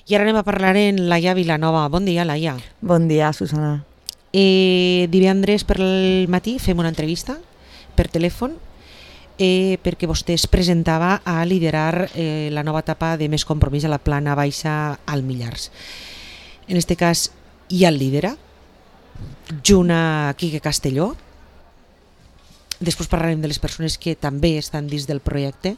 I ara anem a parlar amb Laia Vilanova. Bon dia, Laia. Bon dia, Susana. Divendres per el matí fem una entrevista per telèfon perquè vostè es presentava a liderar la nova etapa de Més Compromís a la Plana Baixa al Millars. En aquest cas, ja el lidera, junt a Quique Castelló. Després parlarem de les persones que també estan dins del projecte.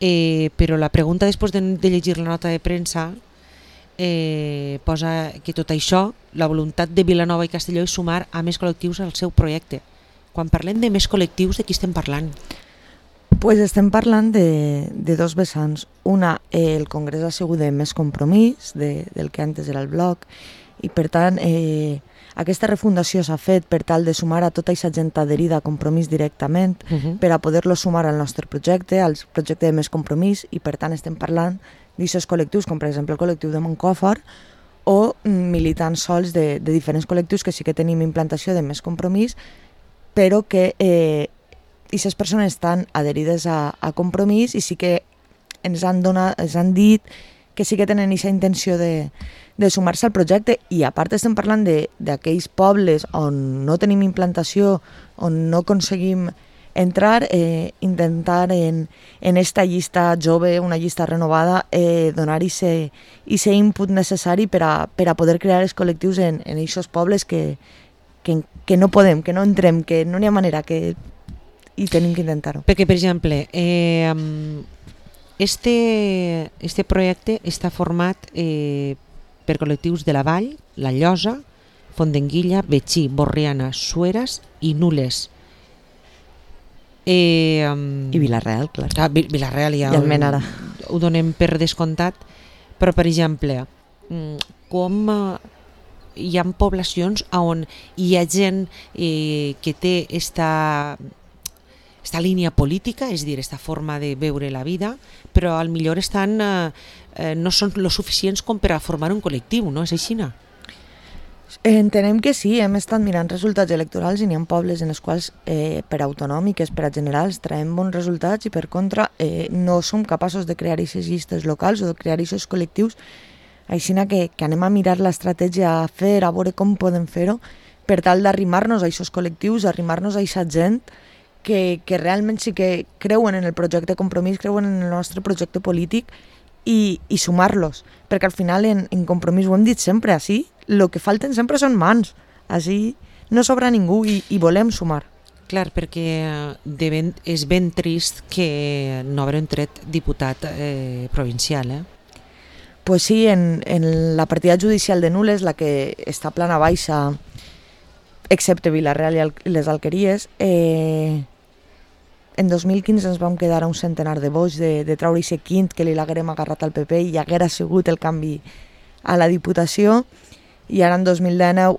Però la pregunta, després de llegir la nota de premsa, posa que tot això, la voluntat de Vilanova i Castelló és sumar a més col·lectius al seu projecte. Quan parlem de més col·lectius, de qui estem parlant? Pues estem parlant de dos vessants. Una, el Congrés ha sigut de Més Compromís, del que antes era el bloc, i per tant aquesta refundació s'ha fet per tal de sumar a tota aquesta gent adherida a Compromís directament per a poder-lo sumar al nostre projecte, al projecte de Més Compromís, i per tant estem parlant d'aquests col·lectius, com per exemple el col·lectiu de Montcòfor, o militants sols de diferents col·lectius que sí que tenim implantació de Més Compromís, però que aquestes persones estan adherides a Compromís i sí que ens han dit que sí que tenen aquesta intenció de sumar-se al projecte, i a part estem parlant d'aquells pobles on no tenim implantació, on no aconseguim entrar, intentar en esta llista jove, una llista renovada, donar aquest input necessari per a poder crear els col·lectius en aquests pobles que no podem, que no entrem, que no n'hi ha manera, i tenim que intentar-ho. Perquè, per exemple, este projecte està format per col·lectius de la Vall, La Llosa, Fontdenguilla, Betxí, Borriana, Sueres i Nules. I Vila-real, clar. Vila-real ja i Almenara. Ho donem per descomptat, però per exemple, com hi ha poblacions on hi ha gent que té esta línia política, és a dir, esta forma de veure la vida, però al millor no són lo suficients com per a formar un col·lectiu, no? És així, no? Entenem que sí, hem estat mirant resultats electorals i n'hi ha pobles en els quals per autonòmiques, per a generals, traiem bons resultats i per contra no som capaços de crear aquestes llistes locals o de crear aquests col·lectius, així que anem a mirar l'estratègia a fer, a veure com podem fer-ho per tal d'arrimar-nos a aquests col·lectius, arrimar-nos a aquesta gent que realment sí que creuen en el projecte Compromís, creuen en el nostre projecte polític i sumar-los, perquè al final en Compromís ho hem dit sempre, així el que falten sempre són mans, així no sobra ningú i volem sumar. Clar, perquè és ben trist que no haurem tret diputat provincial, Pues sí, en la partida judicial de Nules, la que està a Plana Baixa, excepte Vila-real i les Alqueries, en 2015 ens vam quedar a un centenar de vots de treure aquest quint que li l'haguérem agarrat al PP i haguera sigut el canvi a la Diputació, i ara en 2019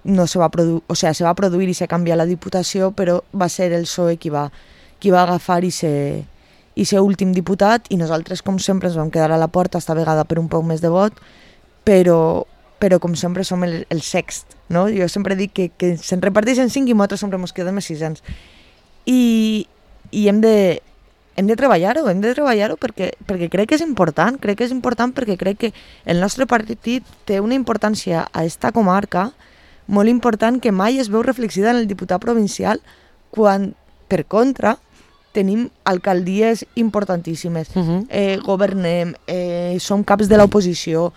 no se va produir i se canvia la Diputació, però va ser el PSOE qui va agafar aquest últim diputat, i nosaltres, com sempre, ens vam quedar a la porta, esta vegada per un poc més de vot, però com sempre som el sext, no? Jo sempre dic que se'n reparteixen 5 i nosaltres sempre ens quedem a 600. I hem de treballar-ho perquè crec que és important, perquè crec que el nostre partit té una importància a esta comarca molt important que mai es veu reflexida en el diputat provincial, quan, per contra, tenim alcaldies importantíssimes, governem, som caps de l'oposició,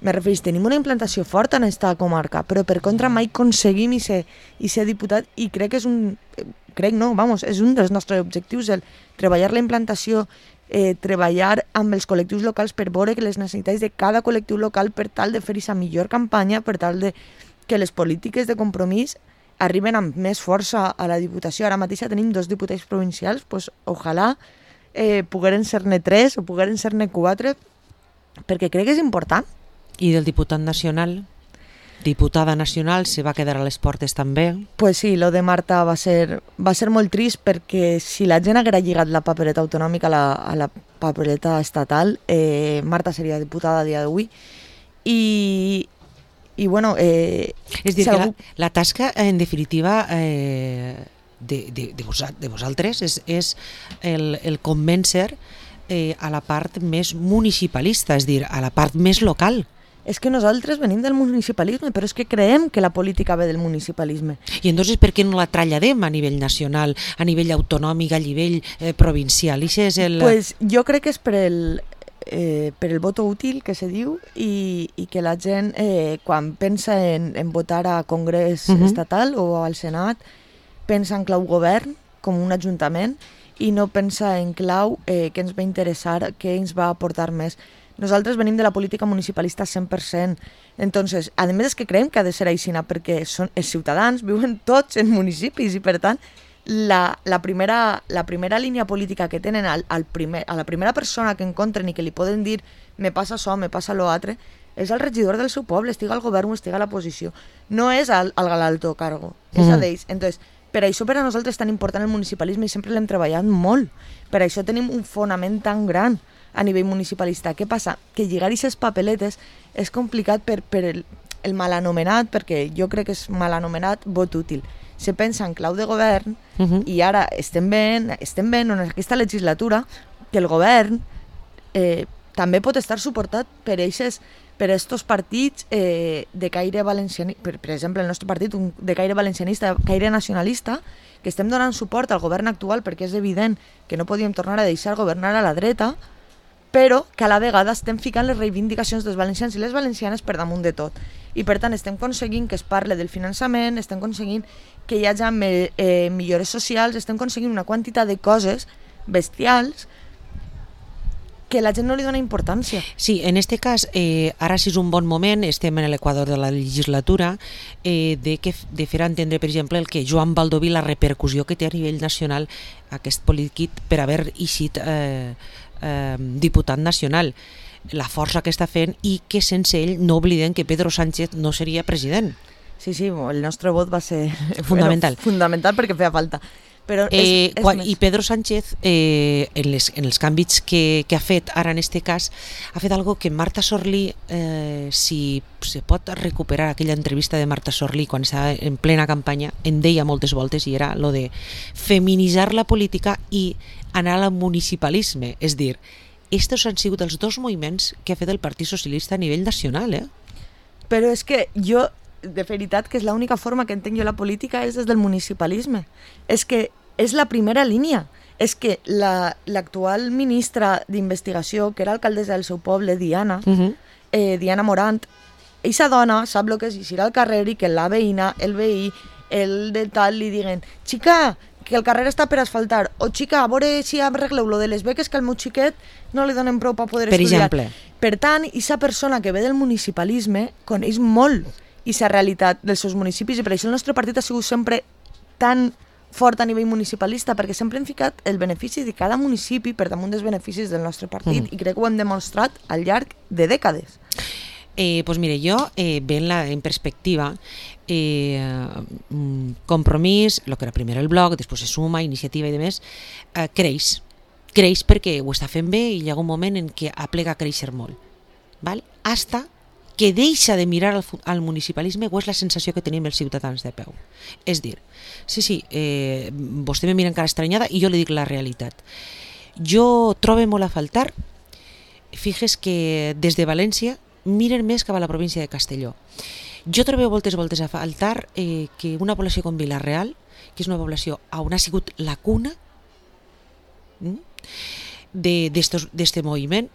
me refereix, tenim una implantació forta en aquesta comarca, però per contra mai aconseguim i ser diputat, i crec que és un dels nostres objectius, el treballar la implantació, treballar amb els col·lectius locals per veure que les necessitats de cada col·lectiu local per tal de fer aquesta millor campanya, per tal de que les polítiques de Compromís arriben amb més força a la Diputació. Ara mateix tenim 2 diputats provincials, doncs ojalà pogueren ser-ne 3 o pogueren ser-ne 4, perquè crec que és important. I del diputat nacional? Diputada nacional, se va quedar a les portes també? Pues sí, lo de Marta va ser molt trist, perquè si la gent haguera lligat la papereta autonòmica a la papereta estatal, Marta seria diputada a dia d'avui. I bueno... és dir, que la tasca, en definitiva, de vosaltres és el convèncer a la part més municipalista, és a dir, a la part més local. És que nosaltres venim del municipalisme, però és que creiem que la política ve del municipalisme. I entonces per què no la traslladem a nivell nacional, a nivell autonòmic, a nivell provincial? Pues jo crec que és per el voto útil, que se diu, i que la gent, quan pensa en votar a Congrés estatal o al Senat, pensa en clau govern, com un ajuntament, i no pensa en clau què ens va interessar, què ens va aportar més. Nosaltres venim de la política municipalista 100%. Entonces, a més és que creiem que ha de ser així, perquè els ciutadans viuen tots en municipis i, per tant, la primera línia política que tenen a la primera persona que encontren i que li poden dir me passa això, me passa lo altre, és el regidor del seu poble, estiga al govern o estiga a la posició. No és al alto cargo, és a d'ells. Entonces, per això per a nosaltres és tan important el municipalisme i sempre l'hem treballat molt. Per això tenim un fonament tan gran a nivell municipalista. Què passa? Que lligar aquestes papeletes és complicat per el mal anomenat, perquè jo crec que és mal anomenat vot útil. Se pensa en clau de govern i ara estem veient en aquesta legislatura que el govern també pot estar suportat per aquests partits de caire valencianista, per exemple el nostre partit de caire valencianista, caire nacionalista, que estem donant suport al govern actual perquè és evident que no podíem tornar a deixar governar a la dreta, però que a la vegada estem ficant les reivindicacions dels valencians i les valencianes per damunt de tot. I per tant estem aconseguint que es parli del finançament, estem aconseguint que hi hagi millores socials, estem aconseguint una quantitat de coses bestials que la gent no li dona importància. Sí, en aquest cas, ara sí és un bon moment, estem en l'equador de la legislatura, de fer entendre, per exemple, el que Joan Baldoví, la repercussió que té a nivell nacional aquest polític per haver eixit diputat nacional, la força que està fent i que sense ell no oblidem que Pedro Sánchez no seria president. Sí, el nostre vot va ser fundamental, fundamental perquè feia falta. Però i Pedro Sánchez en els canvis que ha fet ara en este cas ha fet algo que Marta Sorlí, si se pot recuperar aquella entrevista de Marta Sorlí quan estava en plena campanya, en deia moltes voltes, i era lo de feminitzar la política i anar al municipalisme, és dir, estos han sigut els dos moviments que ha fet el Partit Socialista a nivell nacional, Però és que jo, de veritat, que és l'única forma que entenc jo la política és des del municipalisme. És que és la primera línia. És que l'actual ministra d'Investigació, que era alcaldessa del seu poble, Diana Morant, eixa dona sap el que és eixir al carrer i que la veïna, el veí, el de tal, li diguen xica, que el carrer està per asfaltar, o xica, a veure si arregleu lo de les beques que al meu xiquet no li donen prou per poder estudiar. Per exemple. Per tant, aquesta persona que ve del municipalisme coneix molt aquesta realitat dels seus municipis i per això el nostre partit ha sigut sempre tan fort a nivell municipalista, perquè sempre hem ficat el benefici de cada municipi per damunt dels beneficis del nostre partit i crec que ho hem demostrat al llarg de dècades. Pues mire, jo veient-la en perspectiva, Compromís, el que era primer el blog, després se suma, iniciativa i demés, creix perquè ho està fent bé i hi ha un moment en què aplega a créixer molt, val? Hasta que deixa de mirar al municipalisme, o és la sensació que tenim els ciutadans de peu. És dir, sí, vostè me mira encara estranyada i jo li dic la realitat. Jo trobo molt a faltar, fixes que des de València miren més cap a la província de Castelló. Jo trobo moltes voltes a faltar que una població com Vila-real, que és una població on ha sigut la cuna d'este moviment,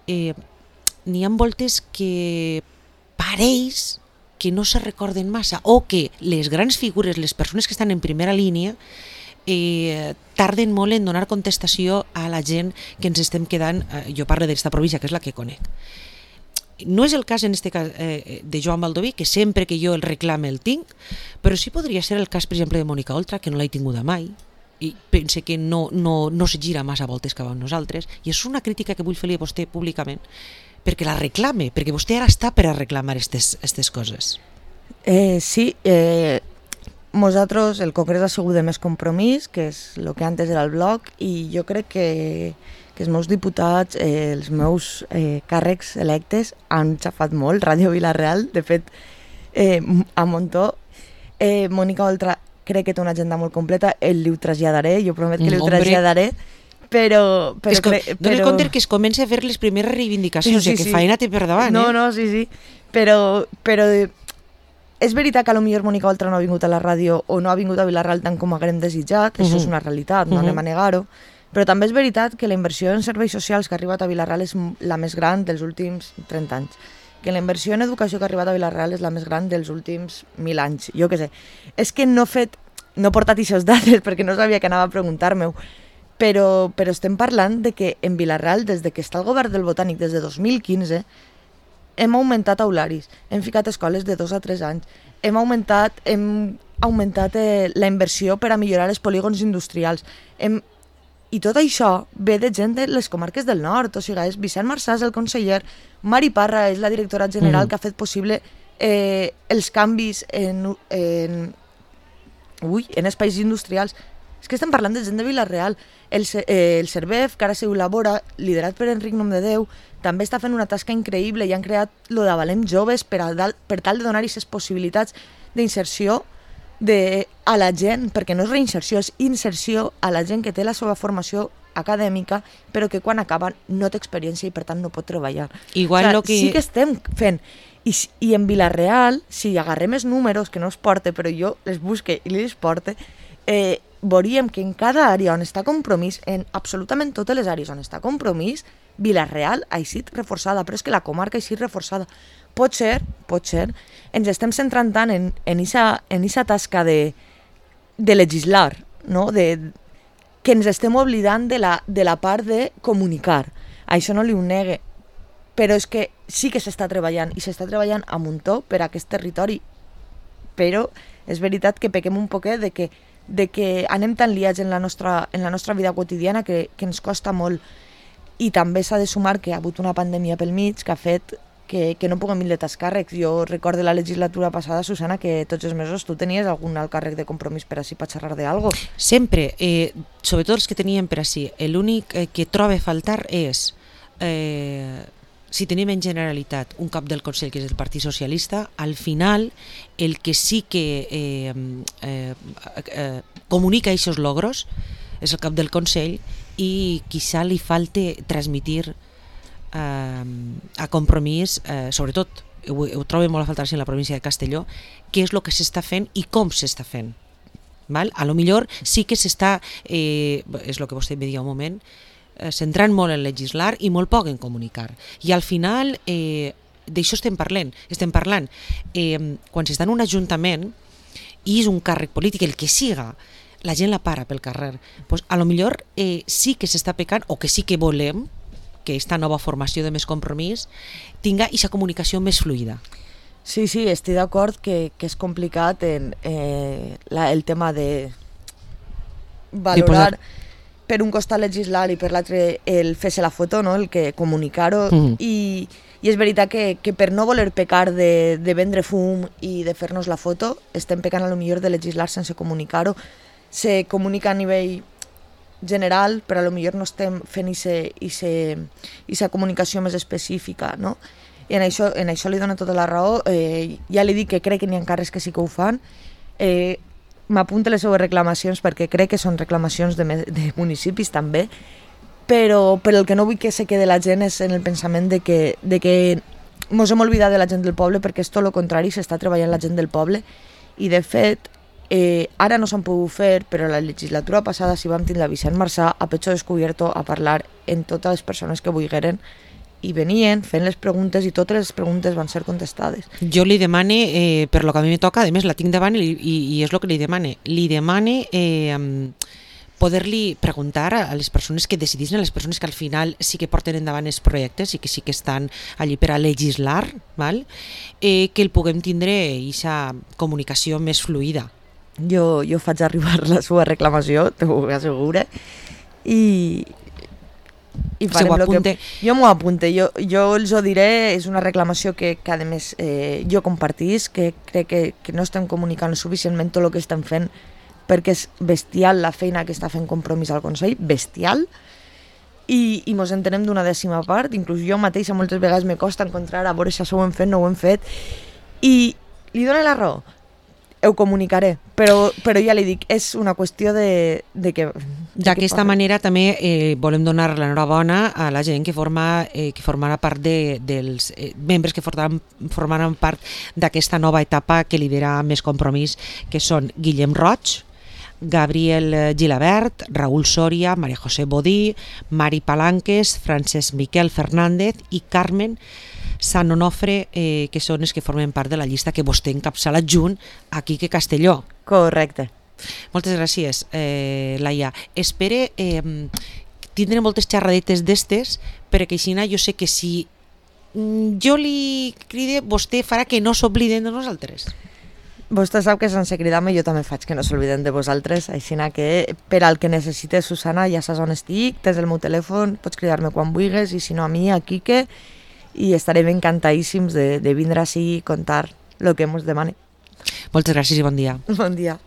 n'hi ha voltes que pareix que no se recorden massa, o que les grans figures, les persones que estan en primera línia, tarden molt en donar contestació a la gent que ens estem quedant. Jo parlo d'esta província, que és la que conec. No és el cas en este cas de Joan Baldoví, que sempre que jo el reclame el tinc, però sí podria ser el cas, per exemple, de Mònica Oltra, que no l'he tinguda mai i pense que no se gira massa voltes cap a nosaltres, i és una crítica que vull fer-li a vostè públicament perquè la reclame, perquè vostè ara està per a reclamar aquestes coses. Sí, nosaltres, el Congrés ha sigut de Més Compromís, que és el que antes era el blog, i jo crec que els meus diputats, els meus càrrecs electes han xafat molt, Ràdio Vila-real, de fet, a Montó. Mònica Oltra crec que té una agenda molt completa, li ho traslladaré, jo promet que li ho traslladaré, Dóna compte que es comença a fer les primeres reivindicacions, sí, que feina té per davant. No, sí. Però és veritat que potser Mònica Oltra no ha vingut a la ràdio o no ha vingut a Vila-real tant com haguem desitjat, això és una realitat, no anem a negar-ho, però també és veritat que la inversió en serveis socials que ha arribat a Vila-real és la més gran dels últims 30 anys, que la inversió en educació que ha arribat a Vila-real és la més gran dels últims 1000 anys, jo què sé. És que no he portat aquestes dades perquè no sabia que anava a preguntar-me-ho, però estem parlant de que en Vila-real, des de que està el govern del Botànic, des de 2015, hem augmentat aularis, hem ficat escoles de 2 a 3 anys, hem augmentat la inversió per a millorar els polígons industrials, i tot això ve de gent de les comarques del nord, o sigui, és Vicent Marçàs, el conseller, Mari Parra és la directora general que ha fet possible els canvis en espais industrials. És que estem parlant de gent de Vila-real. El Cervef, que ara se labora, liderat per Enric Nomdedeu, també està fent una tasca increïble i han creat lo de Valem Joves per tal de donar aquestes possibilitats d'inserció a la gent, perquè no és reinserció, és inserció a la gent que té la seva formació acadèmica, però que quan acaben no té experiència i per tant no pot treballar. Igual sí que estem fent. I en Vila-real, si agarrem els números, que no els porte, però jo les busque i les porte, veuríem que en cada àrea on està Compromís, en absolutament totes les àrees on està Compromís, Vila-real ha eixit reforçada, però és que la comarca ha eixit reforçada. Potser, ens estem centrant tant en aquesta tasca de legislar, no? Que ens estem oblidant de la part de comunicar. Això no li ho negue, però és que sí que s'està treballant, i s'està treballant a muntó per a aquest territori. Però és veritat que pequem un poquet de que anem tan liats en la nostra vida quotidiana que ens costa molt. I també s'ha de sumar que hi ha hagut una pandèmia pel mig que ha fet que no puguem vindre als càrrecs. Jo recordo la legislatura passada, Susana, que tots els mesos tu tenies algun alt càrrec de Compromís per així per xerrar d'algo. Sempre, sobretot els que teníem per així. L'únic que trobo a faltar és, si tenim en Generalitat un cap del Consell que és el Partit Socialista, al final el que sí que comunica aquests logros és el cap del Consell, i quizá li falte transmitir a Compromís, sobretot ho trobo molt a faltar en la província de Castelló, què és el que s'està fent i com s'està fent. A lo millor sí que s'està, és el que vostè me deia un moment, centrant molt en legislar i molt poc en comunicar. I al final d'això estem parlant. Quan s'està en un ajuntament i és un càrrec polític, el que siga, la gent la para pel carrer. Pues a lo millor sí que s'està pecant, o que sí que volem que aquesta nova formació de Més Compromís tinga aquesta comunicació més fluida. Sí, estic d'acord que és complicat el tema de valorar per un costat legislar i per l'altre el fer-se la foto, no? El que comunicar-ho. I és veritat que per no voler pecar de vendre fum i de fer-nos la foto, estem pecant a lo millor de legislar sense comunicar-ho. Se comunica a nivell general, però a lo millor no estem fent aquesta comunicació més específica, no? I en això li dono tota la raó. Ja li dic que crec que n'hi ha càrrecs que sí que ho fan. M'apunto les seves reclamacions perquè crec que són reclamacions de municipis també, però el que no vull que se quede la gent és en el pensament de que mos hem oblidat de la gent del poble, perquè és tot el contrari, s'està treballant la gent del poble, i de fet ara no s'han pogut fer, però la legislatura passada sí vam tindre a Vicent Marçà a pecho descubierto a parlar amb totes les persones que volgueren, i venien fent les preguntes i totes les preguntes van ser contestades. Jo li demane, per lo que a mi me toca, a més la tinc davant i és el que li demane poder-li preguntar a les persones que decidissin, a les persones que al final sí que porten endavant els projectes i que sí que estan allí per a legislar, que el puguem tindre aquesta comunicació més fluida. Jo faig arribar la seva reclamació, t'ho asseguro, i farem el que... Jo m'ho apunte, jo els ho diré, és una reclamació que a més jo compartís, que crec que no estem comunicant suficientment tot el que estem fent, perquè és bestial la feina que està fent Compromís al Consell, bestial, i mos entenem d'una dècima part, inclús jo mateixa moltes vegades me costa encontrar a veure si això ho hem fet, no ho hem fet, i li dono la raó. Ho comunicaré, però ja li dic, és una qüestió de que D'aquesta manera també volem donar l'enhorabona a la gent que formarà part dels membres que formaran part d'aquesta nova etapa que lidera Més Compromís, que són Guillem Roig, Gabriel Gilabert, Raúl Soria, María José Bodí, Mari Palanques, Francesc Miquel Fernández i Carmen Sant Onofre, que són els que formen part de la llista que vostè encapçala junt a Quique Castelló. Correcte. Moltes gràcies, Laia. Espere tindre moltes xerradetes d'estes, perquè així jo sé que si jo li cride, vostè farà que no s'obliden de nosaltres. Vostè sap que sense cridar-me jo també faig que no s'obliden de vosaltres, així que per al que necessites, Susana, ja saps on estic, tens el meu telèfon, pots cridar-me quan vulguis, i si no a mi, a Quique, i estarem encantadíssims de vindre així i contar el que ens demane. Moltes gràcies i bon dia. Bon dia.